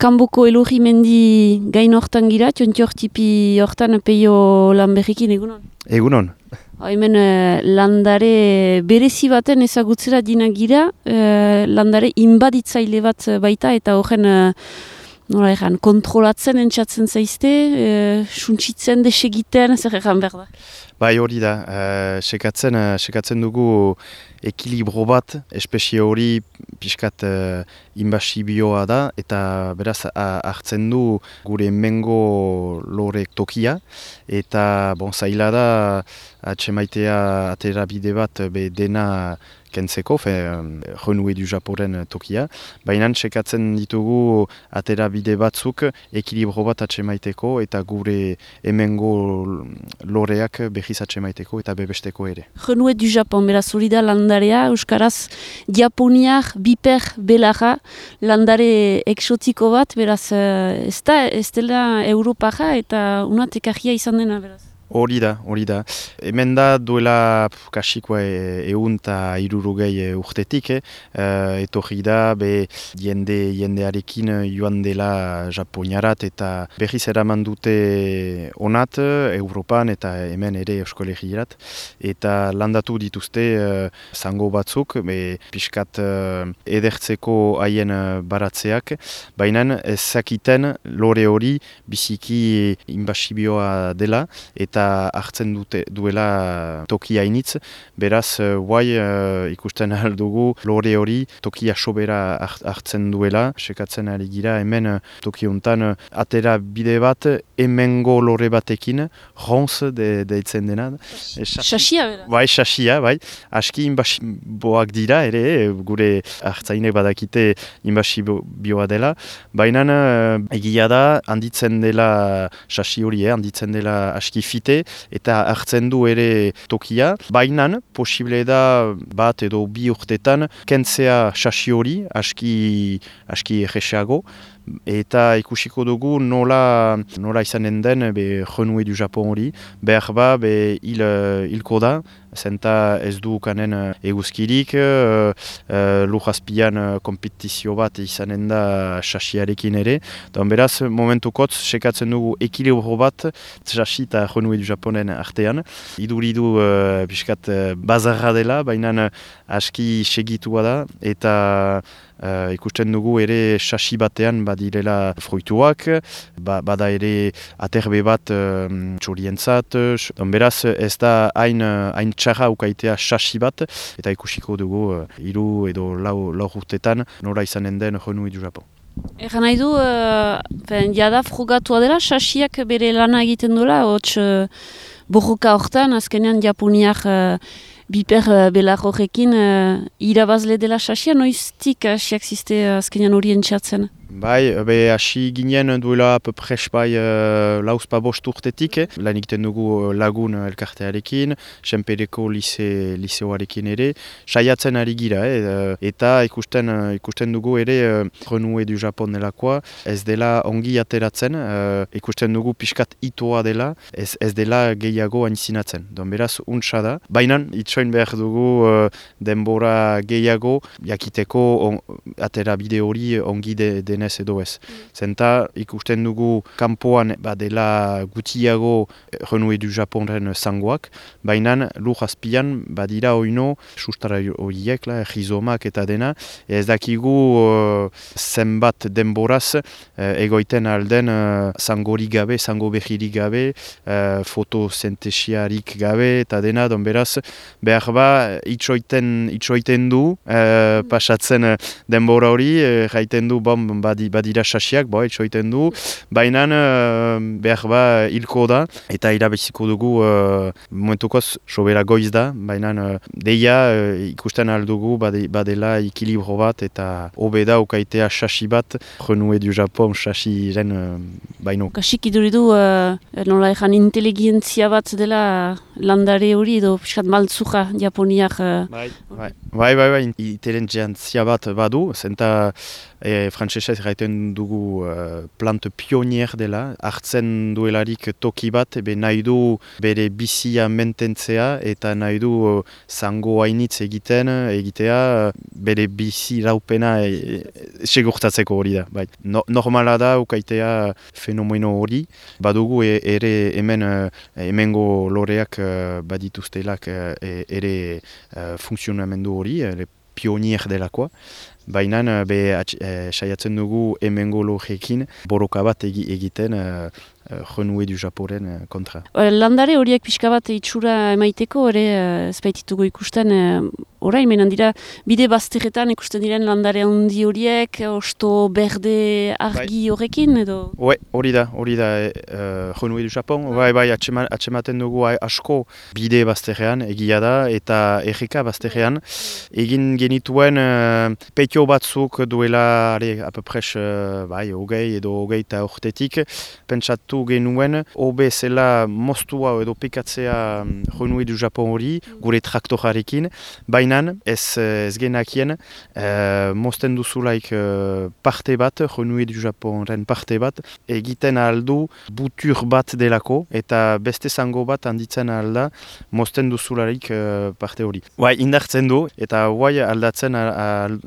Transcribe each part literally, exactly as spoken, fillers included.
kanboko Elorri mendi gain hortan gira, tiontiortipi hortan peio lan berrikin egunon? Egunon. Hemen uh, landare berezi baten ezagutzera dina gira, uh, landare inbaditzaile bat baita eta horren uh, nola egan, kontrolatzen entzatzen zaizte, uh, suntsitzen, desegiten, zer egan behar da? Bai hori da, uh, sekatzen, uh, sekatzen dugu ekilibro bat, espezie hori pixkat uh, inbasibioa da, eta beraz uh, hartzen du gure mengo lorek tokia, eta bon, zaila da atxemaitea atera bide bat be dena kentzeko, fe, renue du Japoren tokia, baina sekatzen ditugu atera bide batzuk ekilibro bat atxemaiteko eta gure hemengo loreak behiz atxemaiteko eta bebesteko ere. Renue du Japon, beraz hori da landarea, euskaraz japoniak, biper, belarra, landare eksotiko bat, beraz ez da, ez dela Europaja eta unat ekarria izan dena, beraz. Hori da, hori da. Hemen da duela kasikoa egun eta irurugei urtetik, eh? uh, etorri da be jende, jendearekin joan dela Japoniarat eta berriz eraman dute onat Europan eta hemen ere Euskolegirat. Eta landatu dituzte uh, zango batzuk, be pixkat uh, edertzeko haien baratzeak, baina ezakiten lore hori biziki inbasibioa dela eta hartzen dute duela tokia initz, beraz guai uh, ikusten ahal dugu lore hori tokia sobera hartzen duela, sekatzen ari gira hemen toki hontan atera bide bat hemengo lore batekin, ronz de, deitzen dena. Sasia bera? Bai, sasia, bai. Aski inbasiboak dira ere, gure hartzainek badakite inbasibioa dela, baina uh, egia da handitzen dela sasi hori, eh, handitzen dela aski fite, eta hartzen du ere tokia, baina posible da bat edo bi urtetan kentzea sasi hori aski, aski erresago, eta ikusiko dugu nola, nola izanen den be Renue du Japon hori, behar ba be hil, hilko da, zenta ez du kanen eguzkirik, uh, uh, lujazpian uh, kompetizio bat izanen da sasiarekin ere, don beraz momentukotz sekatzen dugu ekilibro bat sasi eta Renue du Japonen artean, iduridu uh, biskat uh, bazarra dela, baina aski segitua da, eta Uh, ikusten dugu ere sasi batean badirela fruituak, ba, bada ere aterbe bat um, txorientzat, don beraz ez da hain, hain txarra ukaitea sasi bat, eta ikusiko dugu uh, hiru edo lau, lau urtetan nora izanen den Renue du Japon. Egan nahi du, uh, ben, jada frugatua dela, sasiak bere lana egiten duela, hotz uh, borroka hortan, azkenean japoniak uh, biper uh, belar horrekin uh, irabazle dela sasia, noiztik asiak ziste uh, azkenean horien txatzen? Bai, be hasi ginen duela pepres bai uh, lauzpa bost urtetik, eh? Lan egiten dugu lagun elkartearekin, Senpereko lise, liseoarekin ere, saiatzen ari gira, eh? Eta ikusten, ikusten dugu ere uh, Renue du Japon delakoa, ez dela ongi ateratzen, uh, ikusten dugu pixkat itoa dela, ez, ez dela gehiago aintzinatzen. Don beraz, untsa da. Baina, itsoin behar dugu uh, denbora gehiago, jakiteko on, atera bide hori ongi de, denez edo ez. Mm. Zenta ikusten dugu kanpoan badela gutiago Renue du Japonen zangoak, baina lur azpian badira oino sustara horiek, rizomak eta dena, ez dakigu uh, zenbat denboraz uh, egoiten alden uh, zangori gabe, zango behirik gabe, uh, fotosintesiarik gabe eta dena, don beraz, behar ba, itxoiten, itxoiten du, uh, pasatzen denbora hori, uh, jaiten du, bom, badi, badira sasiak, bo, itxoiten du, baina uh, behar ba hilko da, eta irabeziko dugu uh, momentukoz sobera goiz da, baina uh, deia uh, ikusten aldugu bade, badela ekilibro bat, eta hobe da ukaitea sasi bat, Renue du Japon sasiren uh, baino. Kasik iduridu uh, nola ejan inteligentzia bat dela landare hori edo piskat maltzuja Japoniak. Uh... Bai, bai, bai, bai, bai, inteligentzia bat badu, zenta e, frantsesez erraiten dugu uh, plant pionier dela, hartzen duelarik toki bat, ebe nahi du bere bizia mententzea eta nahi du uh, zango hainitz egiten, egitea uh, bere bizi raupena e, e, segurtatzeko hori da. Bai. No, normala da ukaitea fenomeno hori, badugu e, ere hemen uh, hemengo loreak uh, badituztelak uh, e, ere uh, funtzionamendu hori, ere pionier delakoa. Baina be uh, saiatzen dugu hemengo loreekin borroka bat egi, egiten uh, Renoué du Japoren kontra. Landare horiek pixka bat itxura emaiteko, ere ez baititugu ikusten, orain menan dira, bide bazterretan ikusten diren landare handi horiek, osto berde argi horrekin edo? Ue, hori da, hori da uh, Renoué du Japon, bai, bai, atxematen dugu asko bide bazterrean egia da, eta erreka bazterrean. Egin genituen uh, petio batzuk duela, are, apepres, uh, bai, hogei edo hogei eta urtetik, pentsatu genuen, hobe zela moztua edo pekatzea Renoué du Japon hori, gure traktorarekin, baina ez, ez genakien, uh, mozten duzulaik uh, parte bat, Renoué du Japonren parte bat, egiten aldu butur bat delako, eta beste zango bat handitzen alda, mozten duzularik uh, parte hori. Guai, indartzen du, eta guai aldatzen al, al,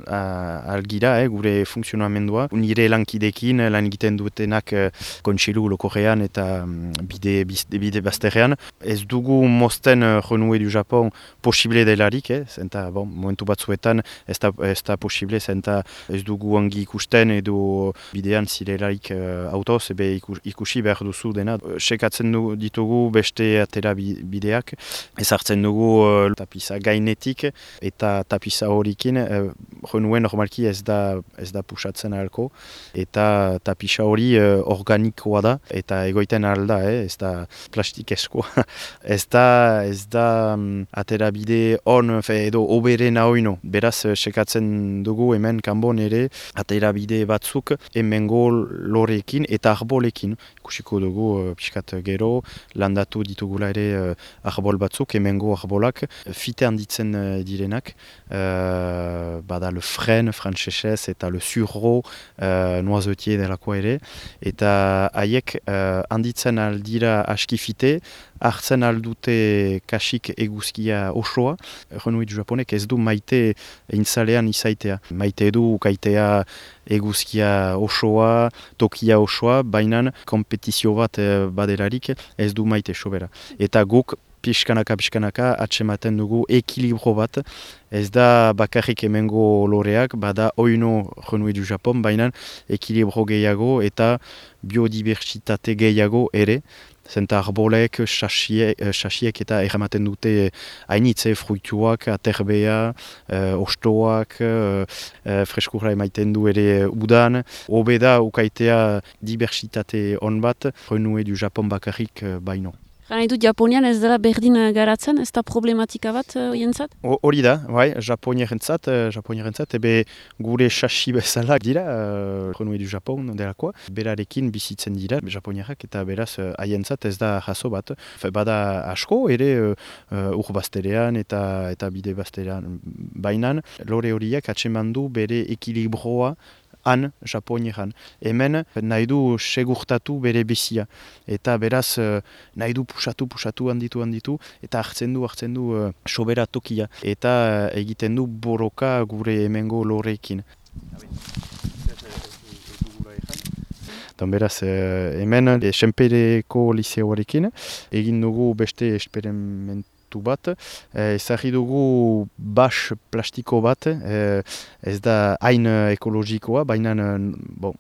algira, eh, gure funtzionamendua. Nire lankidekin, lan egiten dutenak uh, kontsilu lokorean eta um, bide, bide bazterrean. Ez dugu mozten uh, Renoué du Japon posible delarik, eh, zenta, bon, momentu batzuetan ez da, ez da posible, zenta ez dugu ongi ikusten edo bidean zirelarik uh, autoz, ebe ikusi behar duzu dena. Sekatzen du, ditugu beste atera bideak, ez hartzen dugu uh, tapisa gainetik eta tapisa horikin, uh, Renoué normalki ez da, ez da pusatzen ahalko, eta tapisa hori uh, organikoa da, eta egoiten alda, eh? Ez da plastikeskoa. ez da, ez da um, atera bide on, fe, edo oberen ahoino. Beraz, sekatzen dugu hemen kanbon ere, atera bide batzuk hemengo lorekin eta arbolekin. Ikusiko dugu, uh, pixkat gero, landatu ditugula ere uh, arbol batzuk, hemengo arbolak, fite handitzen uh, direnak, uh, bada le fren, frantsesez, eta le surro, uh, noisetier delakoa ere, eta haiek uh, handitzen aldira askifite, hartzen aldute kasik eguzkia osoa. Renoué du Japonek ez du maite intzalean izaitea. Maite du ukaitea eguzkia osoa, tokia osoa, baina kompetizio bat badelarik ez du maite sobera. Eta guk pixkanaka pixkanaka atsematen dugu ekilibro bat. Ez da bakarrik hemengo loreak, bada oino Renoué du Japon, baina ekilibro gehiago eta biodibertsitate gehiago ere. Zenta arbolek, sasiek eta erramaten dute hainitze fruituak, aterbea, uh, ostoak, uh, uh, freskurra emaiten du ere udan. Hobe da ukaitea dibertsitate on bat, Renoué du Japon bakarrik uh, baino. Gana dut Japonian ez dela berdin garatzen, ez da problematika bat horientzat? Uh, Hori da, bai, Japonierentzat, uh, Japonierentzat, ebe gure sasi bezala dira, uh, Renoué du Japon delakoa, berarekin bizitzen dira, Japonierak, eta beraz haientzat ez da jaso bat. Fe, bada asko, ere uh, ur bazterean eta, eta bide bazterean bainan, lore horiek atsemandu bere ekilibroa han, Japonieran. Hemen nahi du segurtatu bere bizia. Eta beraz nahi du pusatu, pusatu, handitu, handitu, eta hartzen du, hartzen du uh, sobera tokia. Eta uh, egiten du borroka gure hemengo loreekin. Don beraz, hemen Senpereko liseoarekin egin dugu beste esperimentu bat, ezagri dugu bas plastiko bat, ez da hain ekologikoa, baina bon,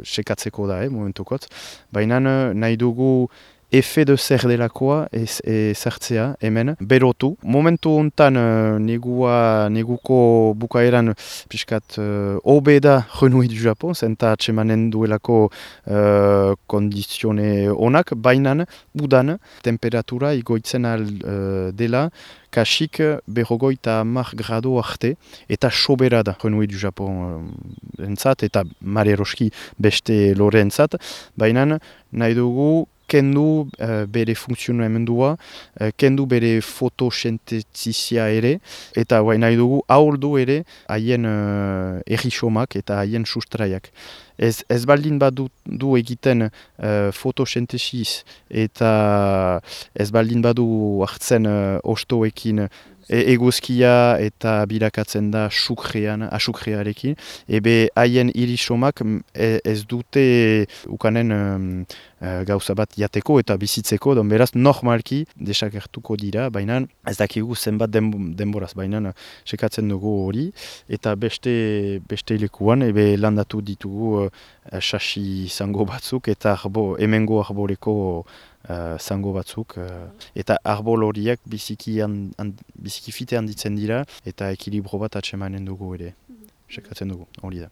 sekatzeko da, eh, momentukot, baina nahi dugu efe de zer delakoa ezartzea hemen, berotu. Momentu hontan negua, neguko bukaeran piskat hobe uh, da Renoué du Japon, zenta atsemanen duelako uh, kondizione onak, bainan udan temperatura igoitzen al uh, dela, kasik berrogoita hamar grado arte, eta sobera da Renoué du Japon entzat, eta mare eroski beste lore entzat, baina nahi dugu kendu uh, bere funtzionamendua, uh, kendu bere fotosintesisia ere, eta guai nahi dugu ahuldu ere haien uh, errisomak eta haien sustraiak. Ez, ez baldin badu du egiten uh, fotosintesiz eta ez baldin badu hartzen uh, ostoekin E, eguzkia eta bilakatzen da sukrean, asukrearekin, ebe haien irisomak e, ez dute ukanen um, gauza bat jateko eta bizitzeko, don beraz normalki desagertuko dira, baina ez dakigu zenbat denboraz, baina sekatzen dugu hori, eta beste, beste lekuan ebe landatu ditugu sasi uh, zango batzuk eta arbo, hemengo arboleko Uh, zango batzuk, uh, eta arbol horiek biziki, an, an, biziki fite handitzen dira, eta ekilibro bat atsemanen dugu ere, sekatzen dugu, hori da.